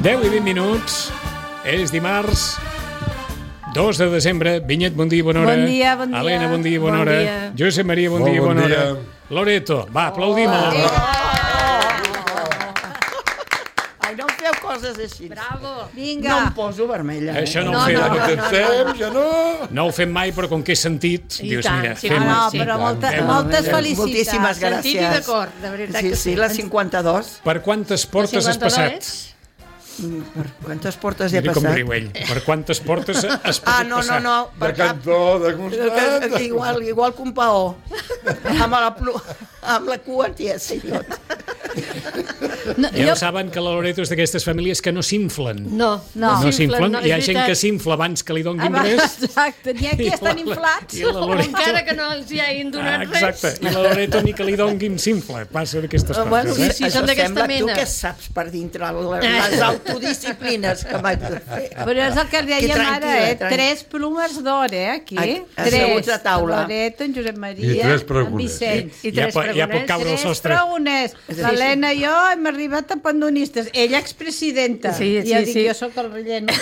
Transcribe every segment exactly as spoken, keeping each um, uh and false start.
deu i vint minuts. És dimarts dos de desembre. Vinyet, bon dia i bona hora. Bon dia, bon dia. Helena, bon dia i bona bon hora. Dia. Josep Maria, bon, bon dia i bona bon dia. hora. Loreto, va, aplaudim-la. Oh. Ai, no em feu coses així. Bravo. No Vinga. em poso vermella. Eh? Això no, No, ho fem. no, No, no. Estem, ja no... no ho fem mai, però com que he sentit, I dius, tant, mira, sí, fem Ah, no, sí. però molta, Fem-ho. moltes felicitats. Moltíssimes gràcies. Sentit i d'acord, de veritat Sí, que sí, sí. la cinquanta-dos. Per quantes portes has passat? Per quantes portes he Mira com passat? riu ell. Per quantes portes has pogut Ah, no, no, passar? no. De Per cap... cantó, de costat... Que- Igual, igual que un paó. amb, la, plu- amb la cua tiesa i tot. No, Ja jo, ho saben que la Loreto és d'aquestes famílies que no s'inflen. No, No. No s'inflen. no, Hi ha és gent que veritat. s'infla abans que li donguin abans, res. exacte, n'hi ha qui I estan la- inflats. I la Loreto... encara que no els hi hagin Ah, donat exacte. res. I la Loreto ni que li donguin s'infla. Passa d'aquestes coses, Bueno, eh? sí, són d'aquesta sembla mena. Tu que saps per dintre la- les autodisciplines que m'haig de fer. Però és el que Que dèiem tranquil·la, ara, eh? tranquil·la. Tres plomes d'or, eh, aquí. Ai, Tres. asseguts a taula. Loreto, en Josep Maria, I tres en pregones. Vicenç. I Ja, tres po- ja pot pregoners. caure el Tres sostre. pregoners. L'Helena i jo hem arribat a pandonistes. Ella expresidenta. Sí, I ja sí, dic, sí. jo sóc el relleno.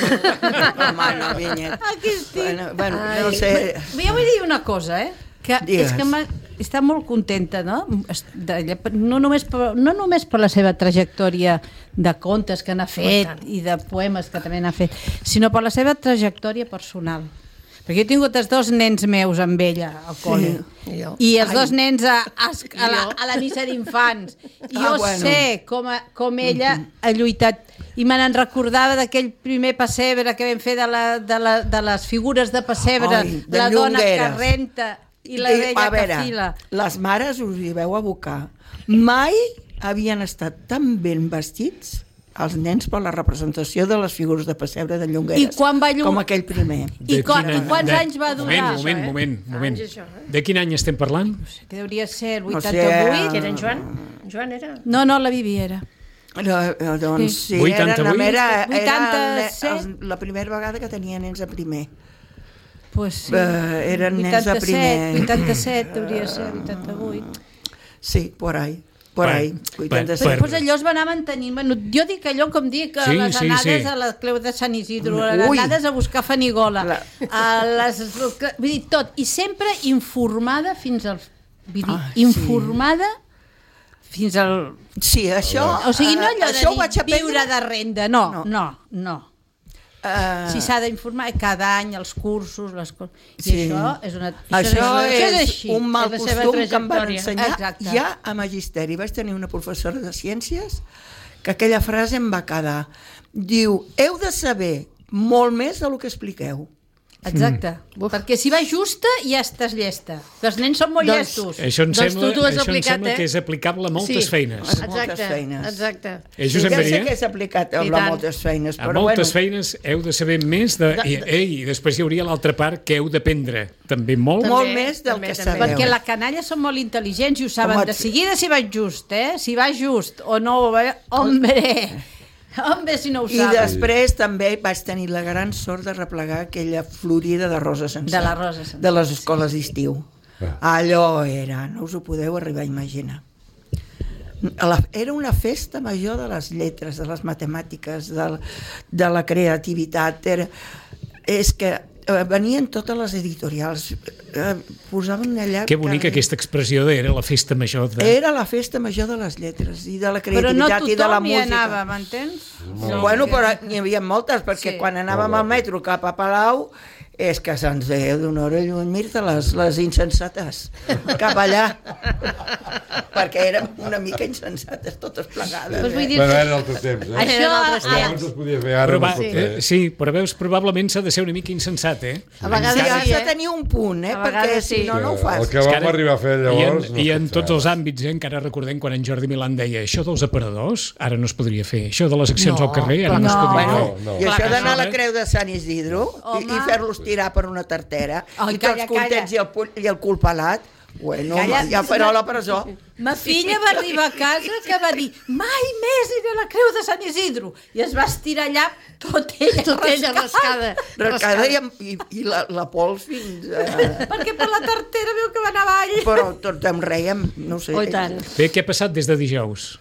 Home, no, Vinyet. Aquí estic. Bueno, bueno Ai. no sé... Jo vull dir una cosa, eh? Que Digues. és que m'ha- està molt contenta, no? De, no, només per, no només per la seva trajectòria de contes que n'ha fet i de poemes que també n'ha fet, sinó per la seva trajectòria personal. Perquè jo he tingut els dos nens meus amb ella al col·le. I jo. I els Ai. dos nens a, a, a, la, a la missa d'infants. I jo Ah, bueno. sé com, a, com ella ha lluitat. I me n'en recordava d'aquell primer pessebre que vam fer de, la, de, la, de les figures de pessebre, Ai, de la dona que Llongueres. renta i la Di- vella a veure, que fila. les mares us hi veu abocar. Mai havien estat tan ben vestits els nens per la representació de les figures de pessebre de Llongueres. I quan va llum- Com aquell primer. I, De quan, quin I any? quants De- anys va durar? Moment, moment, això, eh? moment, moment. Anys, això, eh? De quin any estem parlant? Que hauria de ser el No sé, vuitanta-vuit. Que era en Joan? Joan era? No, no, la Viviera. No, eh, doncs Sí. sí, vuitanta-vuit? era, era, vuitanta-set? era el, la primera vegada que tenia nens a primer. Pues sí. Eh, eren nens de primer. vuitanta-set, hauria de ser, vuitanta-vuit. Sí, por ahí. Por Bueno, ahí. per- vuitanta-set. per- Pues allò es va anar mantenint. Bueno, jo dic allò com dic, a Sí, les sí, anades sí. a la Creu de Sant Isidro, a les Ui. anades a buscar Fanigola, La- a les, vull dir, tot. I sempre informada fins al... Vull dir, Ah, sí. informada fins al... Sí, això... O sigui, no allò eh, això ho de vaig dir aprendre... viure de renda, no, No. no, no. Eh, Si s'ha d'informar cada any, els cursos, les coses... I Sí. això és una... Això és, així. un mal és la seva costum que em van trajectòria. ensenyar Exacte. ja a magisteri. Vaig tenir una professora de ciències que aquella frase em va quedar. Diu, heu de saber molt més del que expliqueu. Exacte. Perquè si va justa ja estàs llesta. Que els nens són molt Doncs- llestos. Això em Doncs sembla, tu t'ho has això em aplicat, sembla eh? que és aplicable a moltes Sí. feines. A moltes Exacte, feines. exacte. Eh, Josep ja sé Maria? que és aplicat a I tant. moltes feines, A però moltes bueno, feines heu de saber més de... I, ei, i després hi hauria l'altra part que heu d'aprendre també molt. També, molt més del també, que també. sabeu. Perquè la canalla són molt intel·ligents i ho saben Home, de seguida si va just, eh? Si va just o no va... Hombre! Hombre, si no ho I saben. després també vaig tenir la gran sort de replegar aquella florida de rosa sencera. De la rosa sencera, De les escoles d'estiu. Allò era, no us ho podeu arribar a imaginar. La, era una festa major de les lletres, de les matemàtiques, de, de la creativitat. Era, és que eh, venien totes les editorials, eh, posaven allà... Que bonica aquesta expressió de era la festa major de... Era la festa major de les lletres i de la Però no creativitat i de la tothom hi música. anava, m'entens? No, bueno, però n'hi havia moltes, perquè Sí. quan anàvem al metro cap a Palau és que se'ns deia d'una hora lluny, Mirta, les, les insensates, cap allà. perquè érem una mica insensates, totes plegades. Doncs vull Eh? dir... Bueno, era altres temps, eh? Això... altres Però abans es podia fer, ara no Proba... es pot Sí. fer. sí, però veus, probablement s'ha de ser una mica insensat, eh? A vegades Sí, has sí, de eh? tenir un punt, eh? A perquè vegades si sí. no, no ho fas. El que vam arribar a fer llavors... I en, no i es en pot tots fer els ara. àmbits, eh? Encara recordem quan en Jordi Milán deia això dels aparadors, ara no es podria fer. Això de les accions No, al carrer, ara no, no. es podria Bueno, fer. No, no. I això Clar, d'anar a la això, eh? Creu de Sant Isidro i, i Home. fer-los tirar per una tartera Ai, i calla, tots contents i el, pu- i el cul pelat, bueno, Calla. ja farà la presó. Ma filla va arribar a casa que va dir mai més iré a la Creu de Sant Isidro i es va estirar allà tot ella Tot ella rascada. Recada i, amb- i, i la, la pols fins a... perquè per la tartera veu que va anar avall. Però tots em rèiem, no sé. Oh, i tant. Bé, què ha passat des de dijous?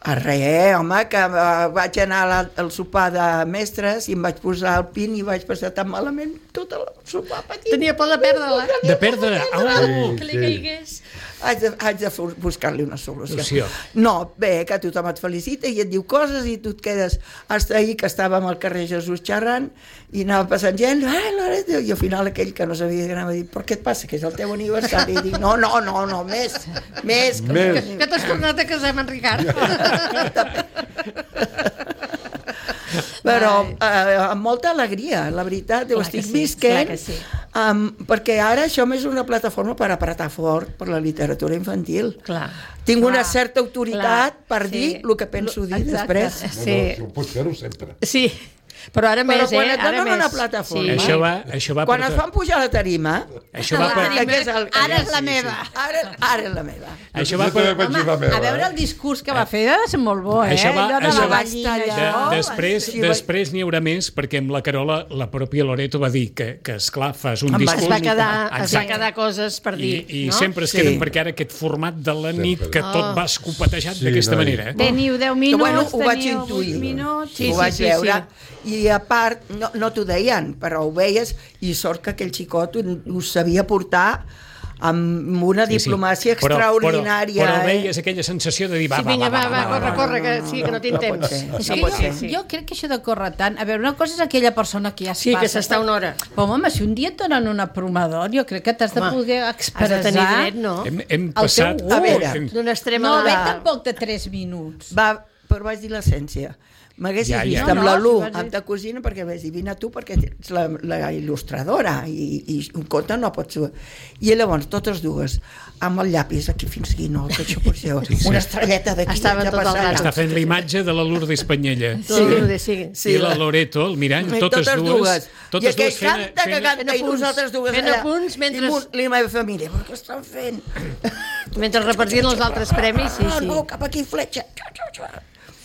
A res, home, que uh, vaig anar la, al sopar de mestres i em vaig posar el pin i vaig passar tan malament tot el sopar petit. Tenia por de perdre-la. De perdre. Oh! Que li caigués. Haig de, haig de buscar-li una solució. Solució. No, bé, que tothom et felicita i et diu coses i tu et quedes... Hasta ahir que estàvem al carrer Jesús xerrant i anava passant gent, ai, Loreto, i al final aquell que no sabia que anava a dir, per què et passa, que és el teu aniversari? I dic, no, no, no, no, més, més. Que Més. que- Que t'has tornat a casar amb en Ricard. Però eh, amb molta alegria, la veritat, ho Clar estic que sí, visquent, clar que sí. um, perquè ara això és una plataforma per apretar fort per la literatura infantil. Clar. Tinc una Clar, certa autoritat clar, per sí. dir el que penso dir Exacte. després. No, Sí. no, ho pots fer-ho sempre. Sí, però ara Però més, quan eh? et Ara donen més. una plataforma- Això va, això va Quan per... es fan pujar a la tarima, Això va per... que és el, Ara és la meva. Ara, ara és la meva. Això Jo va també per... vaig dir la Home, meva, a veure eh? el discurs que va fer va ser molt bo, eh? Això va- Allò de això la va- gallina de- De, allò. després sí, després n'hi haurà més, perquè amb la Carola, la pròpia Loreto va dir que, que esclar, fas un Em va discurs... Es va quedar, es va Exacte. quedar coses per I, dir, i no? sempre es Sí. queden perquè ara aquest format de la nit Sempre. que tot va escopetejat Sí, d'aquesta noi. manera. Eh? Teniu deu Que, minuts, bueno, ho vaig teniu intuir. vuit minuts... Sí, ho sí, vaig sí, veure. I a part, no, no t'ho deien, però ho veies, i sort que aquell xicot ho, ho sabia portar amb una Sí, sí. diplomàcia Però- extraordinària. Però, però eh? veies aquella sensació de dir, va, Sí, va, vinga, va, va, va, corre, corre, que sí, que no tinc no pot temps. ser. És No que pot jo, ser. jo crec que això de córrer tant... A veure, una cosa és aquella persona que ja es Sí, que passa. s'està una hora. Però, home, si un dia et donen un promador, jo crec que t'has de Home, poder Has expressar... de tenir dret, no? Hem, hem El teu passat... gust. A veure, Hem- D'un extrem No, a ve l'altre. tampoc de tres minuts. Va, però vaig dir l'essència. M'haguessis Ja, ja, vist ja. amb No, la no, Lu, si vas dir- amb ta cosina, perquè vaig dir, vine a tu, perquè ets la, la il·lustradora, i, i un conte no pots... I llavors, totes dues, amb el llapis aquí fins aquí, no, que això pot ser una estrelleta d'aquí. Estaven ja tot el passant. rato. Està fent la imatge de la Lourdes Espanyella. Sí, sí. Sí, I la Loreto, el mirall, I totes, dues, I totes aquell dues fent, canta que fent, canta fent i apunts. nosaltres dues Fent allà. apunts mentre- I, mu- I la meva família, però què estan fent? Mentre repartien els altres premis, sí, Ah, sí. no, cap aquí, fletxa.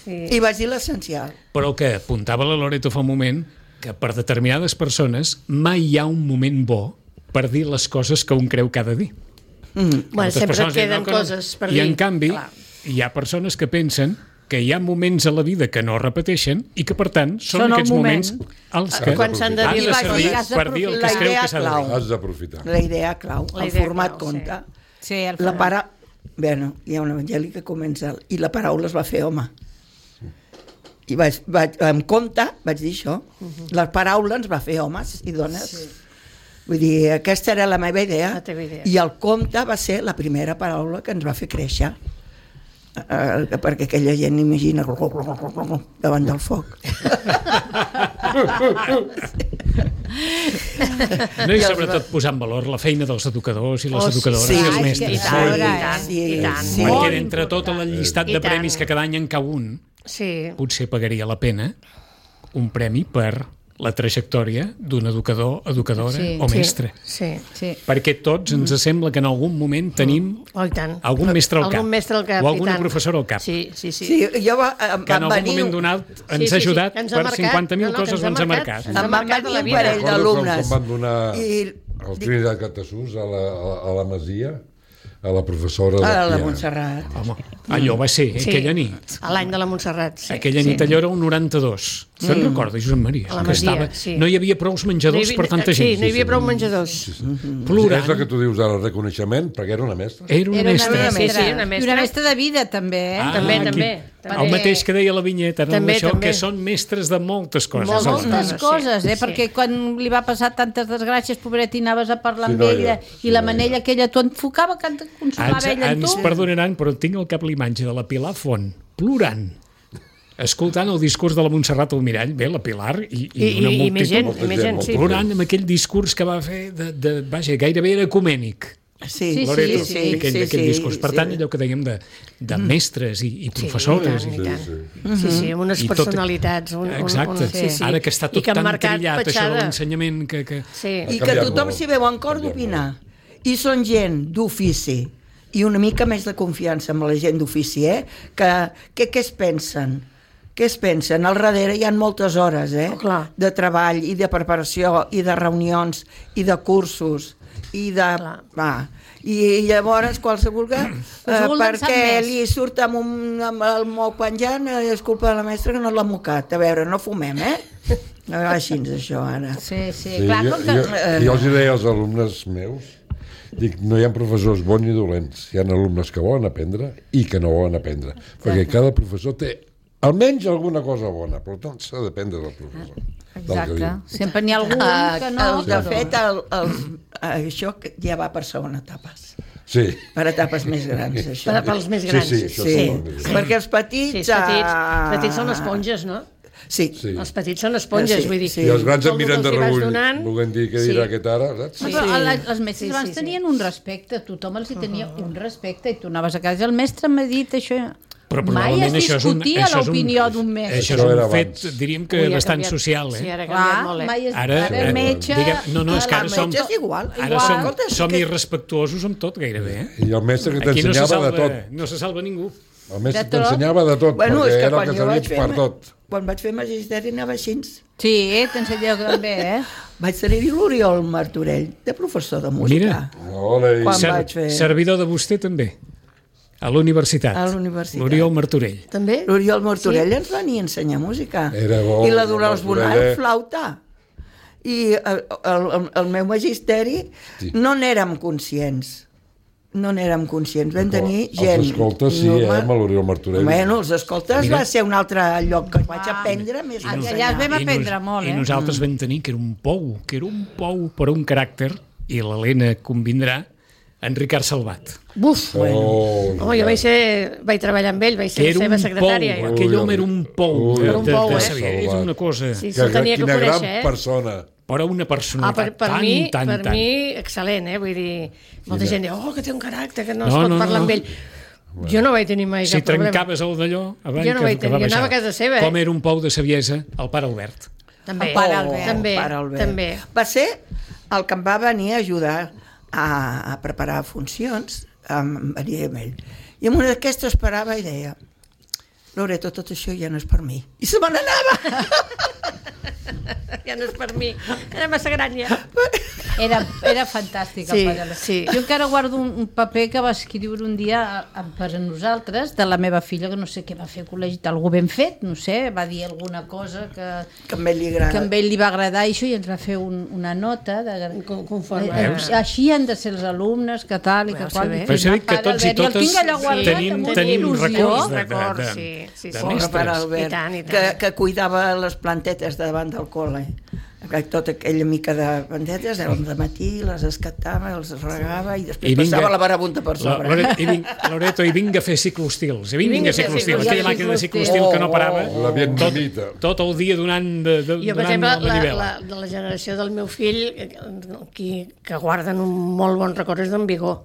sí. I vaig dir l'essencial. però el que apuntava la Loreto fa un moment, que per determinades persones mai hi ha un moment bo per dir les coses que un creu que ha de dir. Bueno, Moltes sempre et persones diuen, queden "No, que no". coses per I dir. en canvi, Clar. hi ha persones que pensen que hi ha moments a la vida que no es repeteixen i que, per tant, són, Són el aquests moment. moments els que Quan s'han de han dir de les servir coses. per dir el que La es creu idea que s'ha de clau. dir. Has d'aprofitar. La idea clau, La el idea format clau, sí. conte. Sí, el La para... Bueno, hi ha un evangeli que comença i la paraula es va fer home. I vaig, vaig, en compte vaig dir això. La paraula ens va fer homes i dones. Sí. Vull dir, aquesta era la meva idea. La teva idea. I el conte va ser la primera paraula que ens va fer créixer. Uh, perquè aquella gent imagina davant del foc. No, i sobretot posar en valor la feina dels educadors i les Oh, educadores sí, i els ai, mestres. que- I tant, Molt i bé. tant, Sí, i tant. sí. Perquè Molt entre tot el llistat I de tant. premis que cada any en cau un, Sí. potser pagaria la pena un premi per la trajectòria d'un educador, educadora Sí. o mestre. Sí. Sí. Perquè tots ens sembla que en algun moment tenim Oh, i tant. algun mestre al cap. Algun mestre al cap, o i alguna tant. professora al cap. Sí, sí, sí. Sí, jo va, em Que en van algun venir... moment donat ens Sí, sí, sí, ha ajudat que ens ha per marcat. cinquanta mil No, no, que coses ens ha ens ha marcat. marcat. Ens ha Em van marcat venir a la un vida. parell Recordo d'alumnes. quan van donar I- el Trinitat Catasús a la, a, a la Masia, a la professora de A la piano. Montserrat. Home, allò va ser, Sí. aquella nit. A l'any de la Montserrat, sí. Aquella nit allò era un noranta-dos. Se'n recorda, Josep Maria? A la Que Masia, estava... sí. No hi havia prou menjadors per tanta gent. Sí, no hi havia prou menjadors. Plorant. És el que tu dius ara, el reconeixement, perquè era una mestra. Era una Era una mestra. mestra. Sí, sí, una I mestra. una mestra de vida, també, eh? Ah, També, aquí. també, El també. mateix que deia la vinyeta, no? També, Això, també. que són mestres de moltes coses. Molt, els moltes. nens. Moltes coses, eh? Sí. Perquè quan li va passar tantes desgràcies, pobret, i anaves a parlar Sí, amb noia. ella, Sí, i la noia. manella aquella t'ho enfocava, que et consolava Ens, ella amb ens tu. perdonaran, però tinc al cap l'imatge de la Pilar Font, plorant, escoltant el discurs de la Montserrat Almirall, bé, la Pilar, i, i, I, una i, i més gent, multitud, i més gent, Molta sí. gent. plorant amb aquell discurs que va fer, de, de, vaja, gairebé era ecumènic. Sí, Sí, Loreto, sí, sí, aquell, sí, aquell sí, discurs. Per sí. tant, allò que dèiem de, de mestres i, i Sí, professores. i tant, i, i tant. Sí, Sí, sí, amb unes I tot- personalitats. Un, un, Exacte. un, sí, sí. Ara que està I tot que han tan marcat trillat, això de petjada. l'ensenyament, que... que... Sí. I Ha que canviat tothom molt. s'hi veu en cor Ha canviat d'opinar. I són gent d'ofici i una mica més de confiança amb la gent d'ofici, eh? Que, que què es pensen? Què es pensen? Al darrere hi ha moltes hores, eh? Oh, clar. De treball i de preparació i de reunions i de cursos i de... Clar. Va. I llavors qualsevol que, eh, vol dansar perquè més. li surt amb, un, amb el moc penjant, eh, és culpa de la mestra que no l'ha mocat. A veure, no fumem, eh? Així és això, ara. Sí, sí, Sí, clar, jo, com que... jo, jo els hi deia als alumnes meus, dic, no hi ha professors bons ni dolents, hi ha alumnes que volen aprendre i que no volen aprendre, perquè cada professor té almenys alguna cosa bona, per tant s'ha d'aprendre del professor. del que Exacte, diu. sempre n'hi ha algun Uh, que no... el, de fet, el, el, això que ja va per segona etapes. Sí, Per etapes més grans, això. Per, pels més sí, grans. sí, això Sí, sí. molt més. perquè els petits... Sí, els petits, ah, els petits són esponges, no? Sí, Sí. Els petits són esponges, Sí, vull dir. sí. I els grans em Com miren de els hi vas rebull, donant, volent dir què sí. dirà aquest ara, saps? No, Sí. però les, les mestres Sí, abans sí, sí. tenien un respecte, tothom els hi tenia un respecte i tu anaves a casa, el mestre m'ha dit això... Però Mai es probablement això és un- discutia això és un- l'opinió d'un mestre. Això és Això era un fet, abans. diríem que Ui, ha bastant canviat. social, Sí, eh? ara ha canviat Clar, molt, eh? mai es... Ara, Ara, eh, metge... diguem- no, no, és que ara el som- metge és igual. Ara igual. som, Escolta, és som que- irrespectuosos amb tot, gairebé, eh? I el mestre que Aquí no se, t'ensenyava salva, de tot. no se salva ningú. El mestre De tot. t'ensenyava de tot, Bueno, perquè és que era el quan que jo vaig servia fer... per tot. Quan vaig fer magisteri anava així. Sí, t'ensenyeu també, eh? Vaig tenir l'Oriol Martorell, de professor de música. Mira. Ole, i- Quan Ser, vaig fer- servidor de vostè també, a la universitat. A la universitat. L'Oriol Martorell. També? L'Oriol Martorell sí. ens venia a ensenyar música. Era bo, I la Dolors Martorell, Bonal, eh? flauta. I el, el, el meu magisteri Sí. no n'érem conscients. No n'érem conscients. Vam tenir Els gent... escoltes, sí, eh, amb l'Oriol Martorell. Bueno, els escoltes Mira. va ser un altre lloc que vaig aprendre més que allà ensenyar. es vam I aprendre molt, I eh? nosaltres vam tenir que era un pou, que era un pou per un caràcter, i l'Helena convindrà, en Ricard Salvat. Buf! Oh, Home, jo vaig, ser, vaig treballar amb ell, vaig ser Que la era seva un secretària. pou, jo. aquell home era un pou Ui, de, Era un de, pou, de eh? saber, és una cosa... Sí, que, se'l tenia que quina gran conèixer, eh? persona. Però una Ah, personalitat per, per tan, mi, tan, per tan... mi, excel·lent, eh? Vull dir, molta gent diu, oh, que té un caràcter, que no, No, es pot no, parlar no. amb ell. Jo no vaig tenir mai Si cap problema. trencaves el d'allò, avall, Jo no que, vaig que va tenir, jo anava baixar. a casa seva, eh? Com era un pou de saviesa, el pare Albert. També. El pare Albert. També, El pare Albert. també. Va ser el que em va venir a ajudar a, a preparar funcions, em venia amb ell. I en una d'aquestes parava i deia, Loreto, tot això ja no és per mi. I se me n'anava. Ja no és per mi. Era massa gran, ja. Era, era fantàstic el Sí, pare Albert. sí. Jo encara guardo un, un paper que va escriure un dia a, a, per a nosaltres, de la meva filla, que no sé què va fer al col·legi, algú ben fet, no sé, va dir alguna cosa que, Que a ell li agrada. que a ell li va agradar i això, i ens va fer un, una nota de, Com- conforme. Eh, Veus? així han de ser els alumnes, que tal i que Veus, qual. que bé. I Però s'ha dit que el tots i Albert, totes el tinc allà guardat tenim, amb una tenim il·lusió. records de, de, Records, de, sí, sí, de sí. Pobre pare mestres. Albert, I tant, i tant. Que, que cuidava les plantetes davant del col·le. Que tota aquella mica de plantetes, al matí les escatava, els regava i després I vinga- passava la barabunta per La, sobre. Loreto, i, vinc, Loreto, i vinga a fer ciclostils. I vinga, vinga a a fer ciclostils. ciclostils. Aquella màquina de ciclostil que no parava La vietnamita. tot el dia donant, de, de, Jo, per donant exemple, la la, manivela. la, de la generació del meu fill, eh, qui, que guarden un molt bon record és d'en Vigó.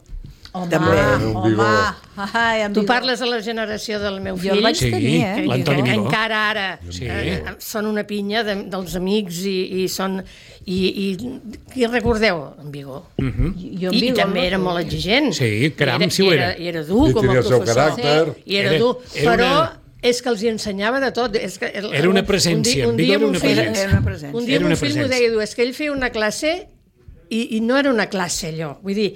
Home, També, un home, vigor. ai, en Tu vigor. parles de la generació del meu Jo fill, el vaig Sí, tenir, eh? que, l'Antoni que Vigó. encara ara Sí. eh, són una pinya de, dels amics i, i són... I, i qui recordeu? En Vigó. Mhm. Jo en I, I Vigor, també no? era molt exigent. Sí, caram, I era, si ho i era. I era dur I com a tenia el seu professor. caràcter. I era, Era- dur, era però una- és que els hi ensenyava de tot. És que el, Era una un- presència, Un, en dia, Vigó un dia era una mon fill, presència. Era una presència. un dia Era una mon fill m'ho presència. deia, diu, és que ell feia una classe i, i no era una classe allò. Vull dir,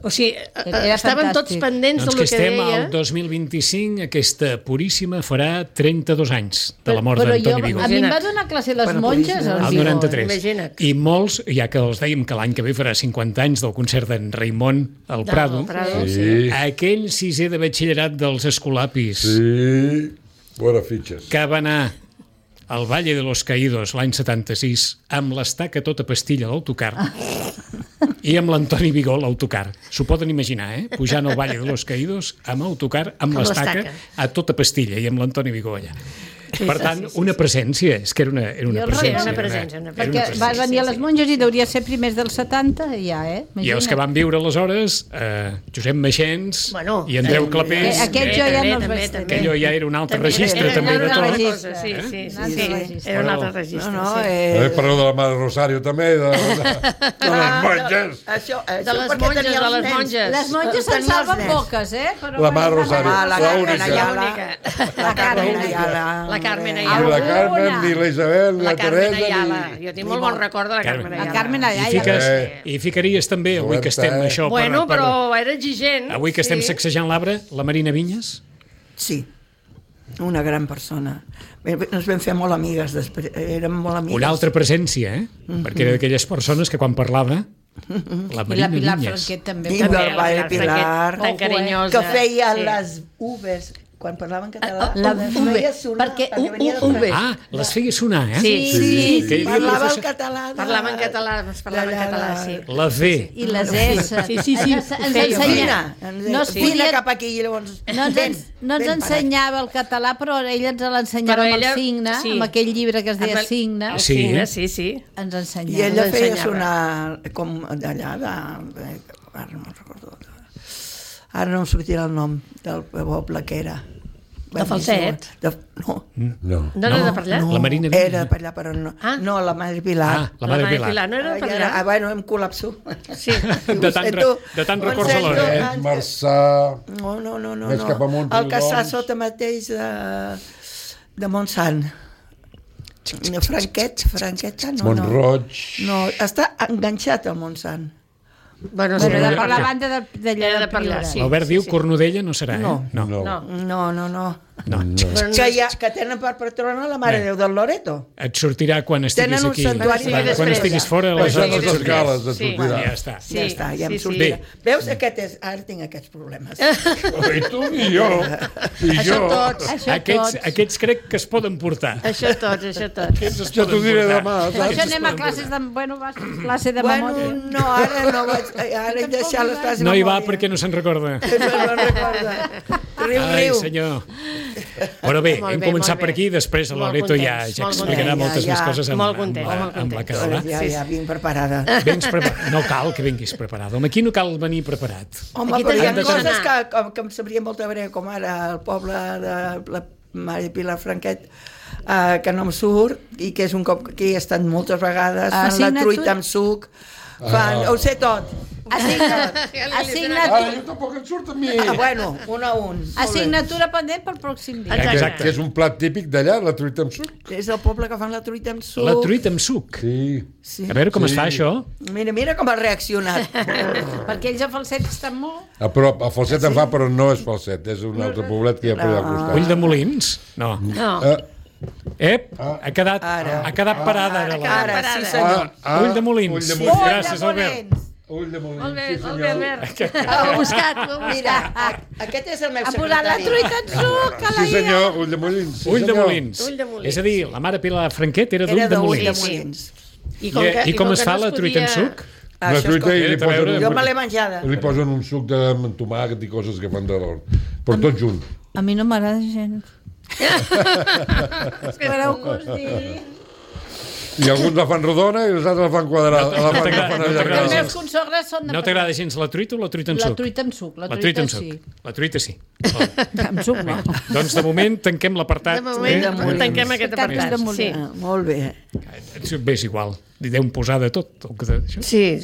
o sigui, Era estaven tots fantàstic. pendents Doncs del que que estem deia. al dos mil vint-i-cinc, aquesta Puríssima farà trenta-dos anys de la mort Però jo, d'Antoni a Vigó. mi em va donar classe les Bueno, monges, Puríssima. el Al Vigó. noranta-tres. Imagina't. I molts, ja que els dèiem que l'any que ve farà cinquanta anys del concert d'en Raimon al Del Prado, Prado, Sí, aquell sisè de batxillerat dels Escolapis sí. Bona fitxes. que va anar al Valle de los Caídos l'any setanta-sis amb l'estaca tota pastilla a l'autocar i amb l'Antoni Vigó a l'autocar. S'ho poden imaginar, eh? Pujant al Valle de los Caídos amb autocar, amb Amb l'estaca l'estaca. a tota pastilla i amb l'Antoni Vigó allà. Sí, Per sí, tant, sí, sí, una sí. presència, és que era una, era una Jo el presència. recordo. era Una presència, una era Perquè presència. va presència. venir a les monges i deuria ser primers dels setanta, ja, eh? I els que van viure aleshores, eh, Josep Meixens Bueno, i Andreu eh, Clapés, Eh, aquest jo ja també, no els també, vaig també. tenir. que allò ja era un altre També, registre, era- també era de una tot. altra registre. cosa, sí, Eh? sí, sí, Un altre sí, registre. era un altre Però- registre. No, no, sí. També eh... parleu de la Mare Rosario, també, de, de, de les monges. Això, això De les perquè monges, tenia de els les nens. monges. Les monges se'n Tenia els salven nens. poques, eh? Però La Mare bueno, Rosario. Ah, la La Carmen única. Ayala. La única. La Carmen La Ayala. La Carmen Ni Ayala. la Carmen, Una. ni la Isabel, ni La la Carmen Teresa, Ayala. ni... Jo tinc molt bon record de la Carmen Carmen. Ayala. La Carmen I, Ayala. fiques, Eh. I ficaries també, avui que estem Roberta, això... Bueno, per, però era exigent. Avui que estem sí. sacsejant l'arbre, la Marina Vinyes? Sí, una gran persona. Bé, bé, Ens vam fer molt amigues després, érem molt amigues. Una altra presència, eh? Perquè era d'aquelles persones que quan parlava, la I la Marina Pilar Vinyes. Franquet també. I També, del la Vall de Pilar Pilar, Franquet, tan Ojo, eh? carinyosa. que feia sí. les uves, quan parlava en català, La les uve, feia sonar, perquè perquè venia u- de uve. Ah, les feia sonar, eh? Sí, Sí, sí, Que hi havia parlava professor- el català. De... Parlava en català, es parlava en de- català, de- sí. La V. I les S. Sí, sí, sí, Ens, ho ens feia. ensenya... Fina, No es fina podia- cap aquí, llavors... No ens, ben, ens, no ens ben ensenyava el català, però ella ens l'ensenyava Però amb ella- el signe, sí. amb aquell llibre que es deia Amb el- Signe, El Sí. signe, sí, sí. ens I ensenyava. ella ens feia ensenyava. sonar com d'allà, de... ara no me'n recordo. Ara no em sortirà el nom del poble que era. De Falset? De, no, No. No era de per allà? no, La Marina Vinyes. era per allà, però no. Ah. No, la Madre Pilar. Ah, la Mare Mare Pilar. No era de per Ah, ja, ah, allà? bueno, em col·lapso. Sí. De tant, re- de tant records alhora, eh? Eh, Marçà... No, no, no, no. Més no. cap amunt, El que està Riudoms. sota mateix de, de Montsant. Franquet, Franqueta, no, no. Montroig... No, està enganxat al Montsant. Bueno, Però sí, de era per la allà. banda de, de allà Era de de per allà, Pilar. sí. L'Albert diu Cornudella no serà, eh? No. No. No. No. No, no, no. no. Però no Que, és- hi ha, que tenen per patrona la Mare Bé. Déu del Loreto. Et sortirà quan estiguis Tenen un aquí. santuari Quan, després. quan estiguis fora, Això aleshores les et sortirà. escales et Sí. sortirà. Ja està. Sí, ja està, ja sí, em sí. sortirà. Bé. Veus? Aquest és... Ara tinc aquests problemes. I tu i jo. I Això jo. tots. Això Aquests, tots. aquests crec que es poden portar. Això tots, això tots. Aquests es Ja t'ho poden diré portar. demà, Per saps? això anem a classes de... Bueno, vas, classe de Bueno, memòria. no, ara no vaig... Ara he deixat les classes de No hi va memòria. perquè no se'n recorda. No me'n recorda. Riu, Ai, riu. senyor. Però bé, Molt hem bé, començat molt per bé. aquí, després a Molt Loreto ja, contents, ja molt explicarà contents. moltes Ja, més ja. coses amb, Molt amb, contents, la, molt amb la contents. Carola. Ja, ja, vinc preparada. Vens preparat. No cal que vinguis preparat. Home, aquí no cal venir preparat. Home, Aquí però hi ha t'has de coses anar. que, que, que em sabrien molt de greu, com ara el poble de la Mare Pilar Franquet, uh, que no em surt, i que és un cop que hi he estat moltes vegades, fan la Assignatura- truita amb suc, fan... Ah. Ho sé tot. Assigna... Ara, Assignatura... jo tampoc em surt a mi. Ah, bueno, un a un. Molt bé. Assignatura pendent pel pròxim dia. Exacte. Exacte. Que és un plat típic d'allà, la truita amb suc. És el poble que fan la truita amb suc. La truita amb suc. Sí. Sí. A veure com Sí. es fa això. Mira, mira com ha reaccionat. Perquè ells a Falset estan molt... A prop, a Falset en fa, però no és Falset, és un altre poblet que hi ha per allà al costat. Ull de molins? No. No. Ah, Ep, ha quedat, Ara. ha quedat parada. Ara, la... Ara, sí parada. senyor. ah, Ull de molins. Ull de Ull molins. de Gràcies, Albert. molins. Ull de molins, Molt bé, sí molt senyor. bé, Albert. Ho he buscat, ho he Mira, buscat. a- aquest és el meu Ha posat la secretari. truita en suc, que la Sí senyor, ull de molins. Sí, Ull de senyor. molins. Ull de molins. És a dir, la mare Pilar Franquet era Era d'ull de d'ull de molins. molins. I I, I com que es fa no la es truita amb podia- suc? Una Això és truita com- i li A veure, posen, Jo un, me l'he menjada. li posen un suc de amb tomàquet i coses que fan de l'or. Però tot junt. A mi no m'agrada gens. Espereu que us digui. I alguns la fan rodona i els altres la fan quadrada. La fan, la t'agrada- fan no Els t'agrada allargada. meus consogres són de... No t'agrada gens la truita o la truita amb La suc? truita amb suc. La La truita amb sí. suc. La truita sí. Molt. Amb suc no. Doncs de moment tanquem l'apartat. De moment, de molins. tanquem aquest Capes de apartat. molins. Sí. Ah, molt bé. Eh, Bé, és igual. Li deu posar de tot. o que de- això. Sí.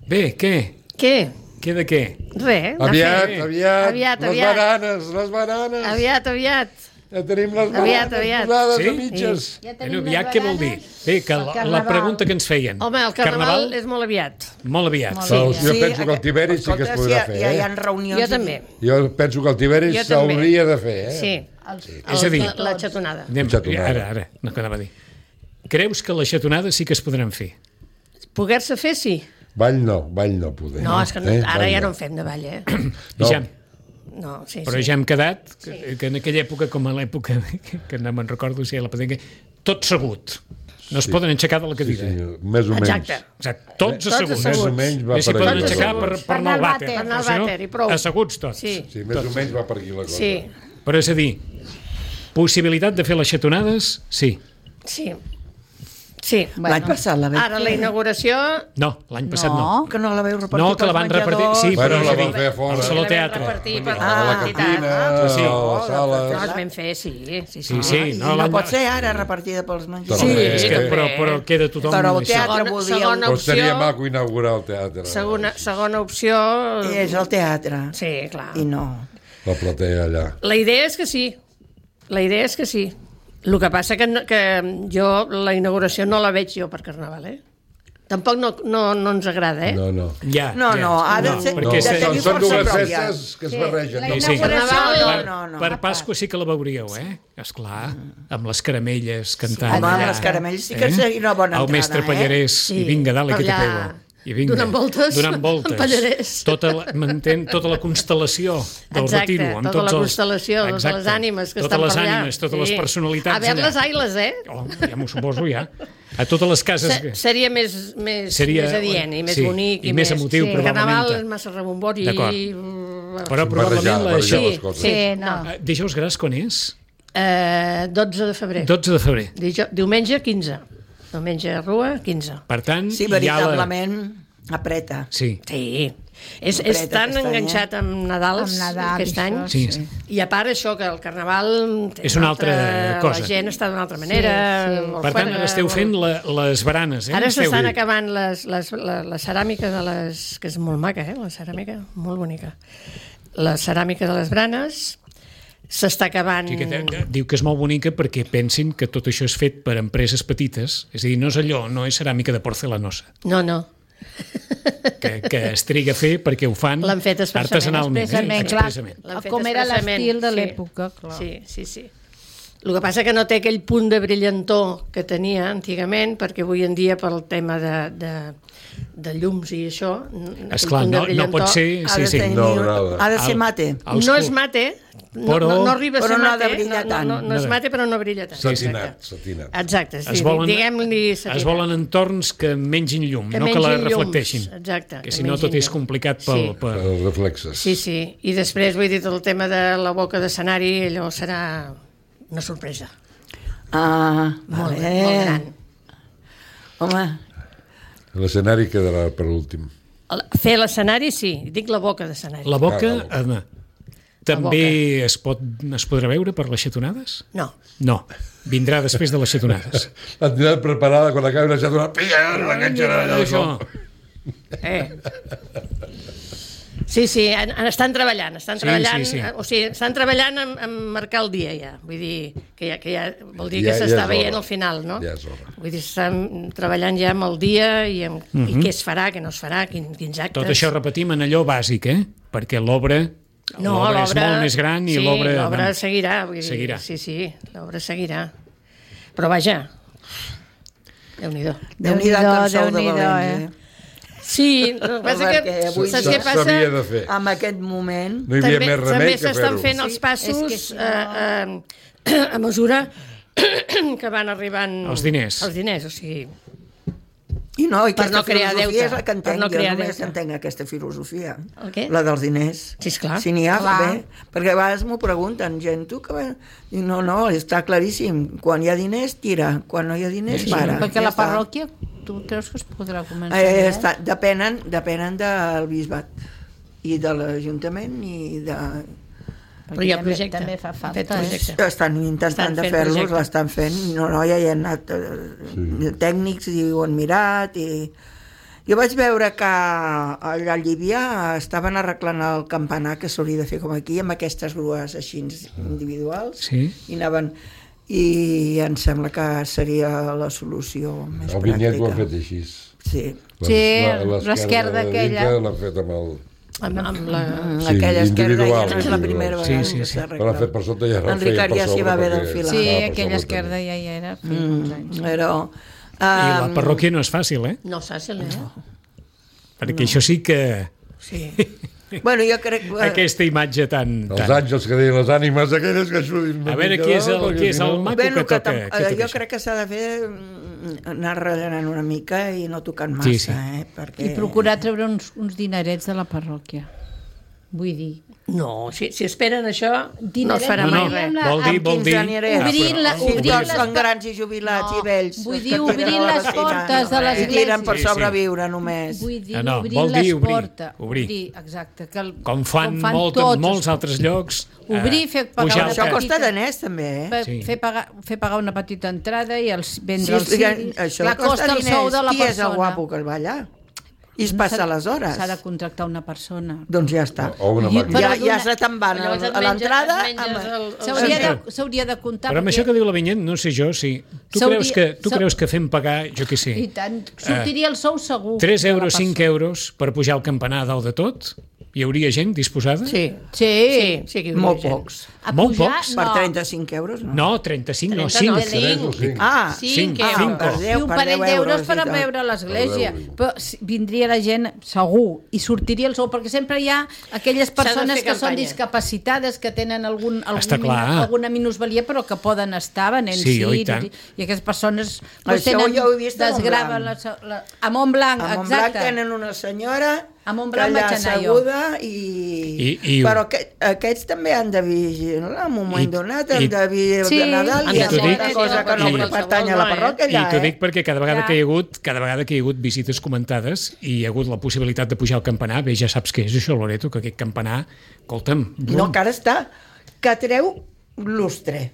Bé, què? Què? Què de què? Res. de Aviat, fet. aviat, Aviat, les aviat. bananes, les bananes. Aviat, aviat. Ja tenim les Aviat, bananes aviat. posades Sí? a mitges. Ja Bueno, aviat què vol dir? Bé, que la, la Carnaval. pregunta que ens feien. Home, el carnaval, és molt aviat. Molt aviat. Molt Sí. Però jo Sí, penso que el aquest- Tiberi sí que es escolta, podrà si fer, ja, ja hi eh? ha reunions... Jo també. Jo penso que el Tiberi Jo també. s'hauria de fer, eh? Sí. Els... És a dir, La, la xatonada. anem, Xatonada. ara, ara, no quedava a dir. Creus que les xatonades sí que es podran fer? Poder-se fer, sí. Ball no, ball no poder. No, és que no, Eh? ara Ball ja no en fem de ball, eh? No. Ja, No, sí, però sí. ja hem quedat que, que en aquella època, com a l'època que, que no me'n recordo si era la patenca, tot segut. No es Sí. poden aixecar de la Sí, cadira. senyor, més o menys. Exacte. Exacte. Tots Tots asseguts. Més o asseguts. menys va Bé, s'hi per poden aquí. aixecar per, per anar al vàter. Per anar al però si no, vàter, i prou. Asseguts tots. Sí, Sí, més o menys va per aquí la cosa. sí, Però és a dir, possibilitat de fer les xatonades, sí. sí. Sí. L'any passat la vaig Ara la inauguració... No, l'any passat no. No. Que no la veu repartir No, que la pels van repartir... menjadors. Sí, Bueno, però és la a dir, van fer a fora. al Saló La vam Teatre. repartir per A la la cantina, entitat. Sí. a la sala... No, es vam fer, sí. Sí, sí. Sí, sí, I no, no, l'any... pot ser ara repartida pels menjadors. Sí, és que, també. però, però queda tothom... Però el això. teatre Segona- voldria... segona- Però estaria opció- maco inaugurar el teatre. Segona, segona opció... És el teatre. Sí, clar. I no. La platea allà. La idea és que sí. La idea és que sí. El que passa que, no, que jo la inauguració no la veig jo per Carnaval, eh? Tampoc no, no, no ens agrada, eh? No, no. Ja, No, ja. no, ha de ser... perquè de se- tenir Són força dues pròpia. festes que es Sí, barregen. la no? Sí, sí. inauguració no, Per, no, no. per Pasqua sí que la veuríeu, eh? Esclar, amb les caramelles cantant. Home, amb allà, les caramelles sí que seria una bona El entrada, mestre eh? Pallarès, Sí, i vinga, dale, que te allà, pego. I vinga, donant voltes donant voltes. amb Pallarès. Tota la, m'entén, tota la constel·lació del Exacte, retiro. Amb tota tots la els- constel·lació, totes Exacte. les ànimes que totes estan per les allà. ànimes, totes les Sí. personalitats A veure les allà. ailes, eh? Oh, ja m'ho suposo, ja. A totes les cases... Se, seria més, més, Seria- més adient i més sí, bonic. i més emotiu, sí. probablement. Carnaval és massa rebombori. D'acord. mm, Però probablement la, Barrejar això... les coses. Sí, no. Eh, Dijous Gras quan és? Eh, dotze de febrer. dotze de febrer. Dijo, diumenge, quinze. Diumenge, Rua, quinze. Per tant, Sí, hi ha la... veritablement apreta. Sí, Sí. És, Apreta és tan aquest any, enganxat amb Nadal, Amb Nadal, aquest això, any. sí. sí. I a part això, que el Carnaval... té És una altra cosa. La gent està d'una altra manera. Sí, sí. molt Per tant, fora, ara esteu molt- fent la, les baranes, eh? Ara Esteu- s'estan acabant les, les, la, la ceràmica de les... que és molt maca, eh? La ceràmica, molt bonica. La ceràmica de les branes s'està acabant... Sí, que te- diu que és molt bonica perquè pensin que tot això és fet per empreses petites, és a dir, no és allò, no és ceràmica de porcelanosa, No, no. que, que es triga a fer perquè ho fan L'han fet expressament. artesanalment. Expressament, eh? clar. expressament. L'han fet Com era expressament, l'estil de sí. l'època, clar. Sí, sí, sí. El que passa que no té aquell punt de brillantor que tenia antigament, perquè avui en dia pel tema de, de, de llums i això... aquell Esclar, punt de no, no brillantor pot ser... Ha Sí, de, sí. tenir, No agrada. ha de ser El- mate. els no cul- és mate, no, Però- no, no arriba a Però ser no ha mate, de brillar no, tant. no, no és mate però no brilla tant. Satinat, Exacte. satinat. Exacte, sí, Es volen, diguem-li es satinat. volen entorns que mengin llum, Que no que la mengin llums, reflecteixin. exacte, Que que si no mengin tot és llum. complicat pel... Sí. Per... Els reflexes. Sí, sí. I després, vull dir, tot el tema de la boca d'escenari, allò serà una sorpresa. Ah, Molt, vale. molt gran. Home, L'escenari quedarà per últim. El- Fer l'escenari, sí. Dic la boca d'escenari. La boca, Ah, la home, també es, pot, es podrà veure per les xatonades? No. No, vindrà després de les xatonades. La tindrà preparada quan acabi la xatona. Pilla, la enganxarà allà. Això. Eh. Sí, sí, en, en estan treballant, estan Sí, treballant, sí, sí. eh, o sigui, estan treballant en, en marcar el dia ja, vull dir, que ja, que ja vol dir Ja- que ja s'està és veient hora. al final, no? Ja és hora. Vull dir, estan treballant ja amb el dia i, amb, Mhm. i què es farà, què no es farà, quin, quins actes... Tot això repetim en allò bàsic, eh? Perquè l'obra No, l'obra és molt més gran i sí, l'obra... l'obra seguirà, vull dir, Seguirà. sí, sí, l'obra seguirà. Però vaja, Déu-n'hi-do. Déu-n'hi-do que en sou de Déu-n'hi-do, valents, eh? Sí, el que passa Perquè que, avui saps S'ha- què passa? S'havia de fer. En aquest moment... No hi havia també, més remei també que s'estan fer-ho. fent els Sí, passos és que si no- eh, eh, a mesura que van arribant Els diners. els diners, o sigui, I no, i Per aquesta no crear filosofia deute, és la que per entenc, no jo crear només deute. entenc aquesta filosofia. El què? La dels diners. Sí, esclar. Si n'hi ha, Clar. bé, perquè a vegades m'ho pregunten, gent, tu que... va- Dic, no, no, està claríssim, quan hi ha diners, tira, quan no hi ha diners, para. Perquè ja la està. parròquia, tu creus que es podrà començar? Eh, ja? està, depenen, depenen del bisbat i de l'Ajuntament i de... Però hi ha També- projecte. també fa Han falta, fet eh? projecte. Estan intentant Estan de fent fer-los, projecte. l'estan fent, no, no, ja hi han anat eh, tècnics i ho han mirat i... Jo vaig veure que allà a Llívia estaven arreglant el campanar que s'hauria de fer com aquí, amb aquestes grues així individuals, Sí. i anaven... I em sembla que seria la solució més El vinyet ho han pràctica. fet així. Sí. Sí, La- l'esquerda de aquella. dintre L'han fet amb el... Amb, amb la... Mm, Sí, aquella esquerda ja individual, no és la individual. primera Sí, vegada sí, que sí. s'arregla. Però l'han fet per sota i ara En el feien Ricard per ja s'hi sobre va haver perquè- d'enfilar. Sí, Ah, per aquella sobre esquerda també. ja hi era feia uns Mm, anys. però... I la Um, parròquia no és fàcil, eh? No és fàcil, eh? Perquè això sí que... Sí. bueno, jo crec... que- Aquesta imatge tan... Els tan... àngels que deien les ànimes aquelles que ajudin una A veure mica qui és el, dalt, qui és perquè el si no- maco Bueno, que que toca. tam- que eh, tot jo això. crec que s'ha de fer mm, anar rellenant una mica i no tocant massa, Sí, sí. eh? Perquè... I procurar treure uns, uns dinerets de la parròquia. Vull dir... No, si, si esperen això, no es Dinerets, farà No, mai no, res. la- vol dir, amb vol quins dir... anirem? Obrir però- la- Sí, obrir tots les són pa- grans i jubilats No, i vells. vull els dir, que obrir tenen a la les vecina. portes de les I tiren per Sí, sí. sobreviure només. Vull dir, Ah, no, obrir vol dir les obrir, portes. obrir. Exacte. Que el, Com fan, molt, tots en molts els- altres llocs... Obrir, fer pagar pujar una el Això preu. costa diners, també, eh? Fer, Sí. fer, pagar, fer pagar una petita entrada i els Sí, vendre els explica- ciris. això Clar, costa costa el sou diners. de la Qui és el persona. guapo que el va allà? I es passa les hores. S'ha de contractar una persona. Doncs ja està. O una I- màquina. Ja, Però ja d'una- se te'n van a, Llavors et a l'entrada. menges- et menges amb- el- el- S'hauria Sí. de, s'hauria de comptar... Però amb perquè- això que diu la Vinyet, no sé jo, si... Tu, S'hauria- creus que, tu s'ha- creus que fem pagar, jo què I sé, tant, sortiria el sou segur. tres de la euros, cinc persona. euros per pujar al campanar a dalt de tot? Hi hauria gent disposada? Sí, Sí, sí, sí que hi hauria Molt gent. pocs. A Molt pujar, pocs? Per no. trenta-cinc euros, no? No, trenta-cinc, no, trenta no, cinc. Tres o cinc. Ah, Cinc Cinc, euros. cinc. per I deu, un per parell deu d'euros euros per i a tal. veure l'església. Per deu. Però si- vindria la gent segur i sortiria el sou, perquè sempre hi ha aquelles S'ha de persones fer que són campanya. discapacitades, que tenen algun, algun Està clar. minu- alguna minusvalia, però que poden estar venent Sí, oi, sí, tant. i, i aquestes persones Això tenen, jo ho he vist a desgraven la, Montblanc. la, a Montblanc, A Montblanc exacte. tenen una senyora A Montblanc allà vaig anar jo. asseguda i... I- i- Però que, aquests també han de vigilar en un moment I- donat, i- han de vigilar Sí, de Nadal han i de han ser- de dic- fer cosa que no i- pertany a la I parròquia I allà, t'ho eh? dic perquè cada vegada Ja. que hi ha hagut, cada vegada que hi ha hagut visites comentades i hi ha hagut la possibilitat de pujar al campanar, bé, ja saps què és això, Loreto, que aquest campanar, escolta'm, No, que ara està, que treu lustre.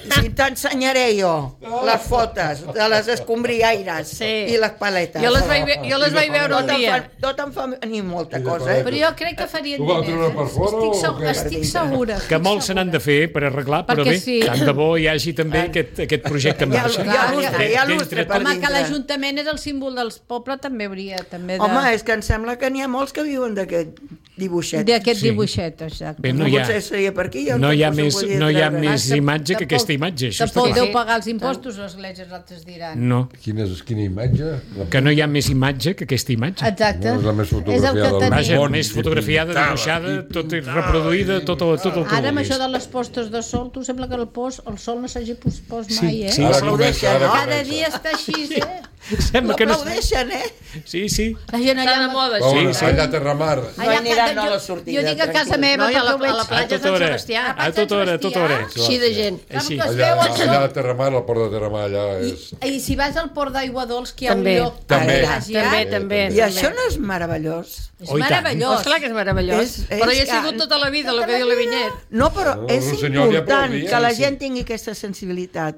Si t'ensenyaré jo les fotos de les escombriaires Sí. i les paletes. Jo les vaig, ve- jo les vaig veure un Tot em dia. fa, tot em fa venir molta I de cosa, eh? Però jo crec que farien Ho vau diners. treure per eh? fora estic, o segu què? estic segura. que estic molts se n'han de segura. fer per arreglar, però Perquè bé, sí. tant de bo hi hagi també aquest, aquest projecte en Hi ha- marxa. hi ha lustre, De- hi ha d'entre lustre tots. per Home, que dintre. l'Ajuntament és el símbol del poble, també hauria també de... Home, és que em sembla que n'hi ha molts que viuen d'aquest dibuixet. d'aquest Sí. dibuixet, exacte. Bé, no, no hi ha, potser seria per aquí. jo no hi ha tampoc més, s'ho podia no hi ha treure. més Tampoc- imatge que tampoc- aquesta imatge. Això està Tampoc clar. deu pagar els impostos, l'església, els altres diran. No, Quina és, quina imatge? La... que no hi ha més imatge que aquesta imatge. Exacte. No és la més És el que fotografiada del tenim. Vaja, Bon, més i fotografiada, pintada, dibuixada, i tot i pintada, reproduïda, i- tot, el, tot el que Ara amb vulguis. això de les postes de sol, tu sembla que el, post, el sol no s'hagi pospost Sí, mai, eh? sí, Ara sí. comença, ara Cada comença. dia està així, eh? Sembla que no... L'aplaudeixen, eh? Sí, sí. La gent Està allà... de moda, Oh, això. Sí, sí. allà a Terramar. No hi aniran a la sortida, Jo dic a casa tranquil. meva, No, i a la, perquè ho veig... a la platja A Sant tota hora. Sebastià. A tota hora, a tota hora. Així de gent. Així. Així. Es Allà, veu el sol. allà a Terramar, al port de Terramar, allà és... I, I si vas al port d'Aigua Dols, que hi ha També. un lloc També. paradisiac, També, també. I això no és meravellós? és Oh, i tant. meravellós. Oh, esclar que és meravellós. És- és Però hi he que- sigut tota la vida, el que diu la Vinyet. No, però No, és el senyor li important aplaudia, que la sí. gent tingui aquesta sensibilitat.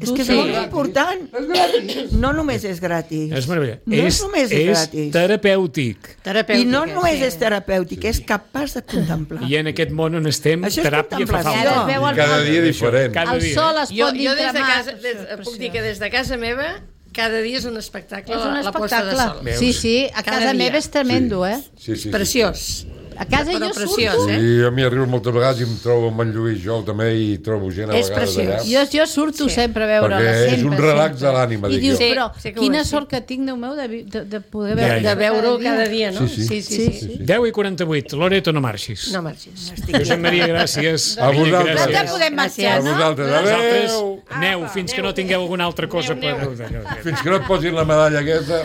És que és sí. molt important. No només és gratis. És meravellós. No és només és és gratis. terapèutic. Terapèutica. I no només és terapèutic, és capaç de contemplar. I en aquest món on estem, Això és teràpia fa contemplació. I ara falta. es veu I el, cada el, dia diferent. Cada el dia. sol es Jo, pot jo des de dintre casa, mar. des, És puc dir que des de casa meva cada dia és un espectacle, És un la, la posta de sol. espectacle. Sí, sí, a Cada casa dia. meva és tremendo, eh? Sí, sí, sí. Preciós. A casa Però jo preciós, surto... eh? I a mi arribo moltes vegades i em trobo amb en Lluís jo també i trobo gent a És vegades preciós. allà. Jo, jo surto Sí. sempre a veure-la. Perquè és sempre, un relax sempre. de l'ànima, I dic dius, jo. Sí, però sí que ho quina és, sí. sort que tinc, Déu meu, de, vi- de, de poder Ja, veure ja. De veure-ho cada dia, no? Sí, sí. sí, sí. sí. deu i quaranta-vuit. Loreto, no marxis. No marxis. Josep Maria, gràcies. A Vinyet, vosaltres. No gràcies. te podem marxar, A no? vosaltres. Vosaltres, Adéu. aneu, fins que no tingueu alguna altra cosa per... Fins que no et posin la medalla aquesta.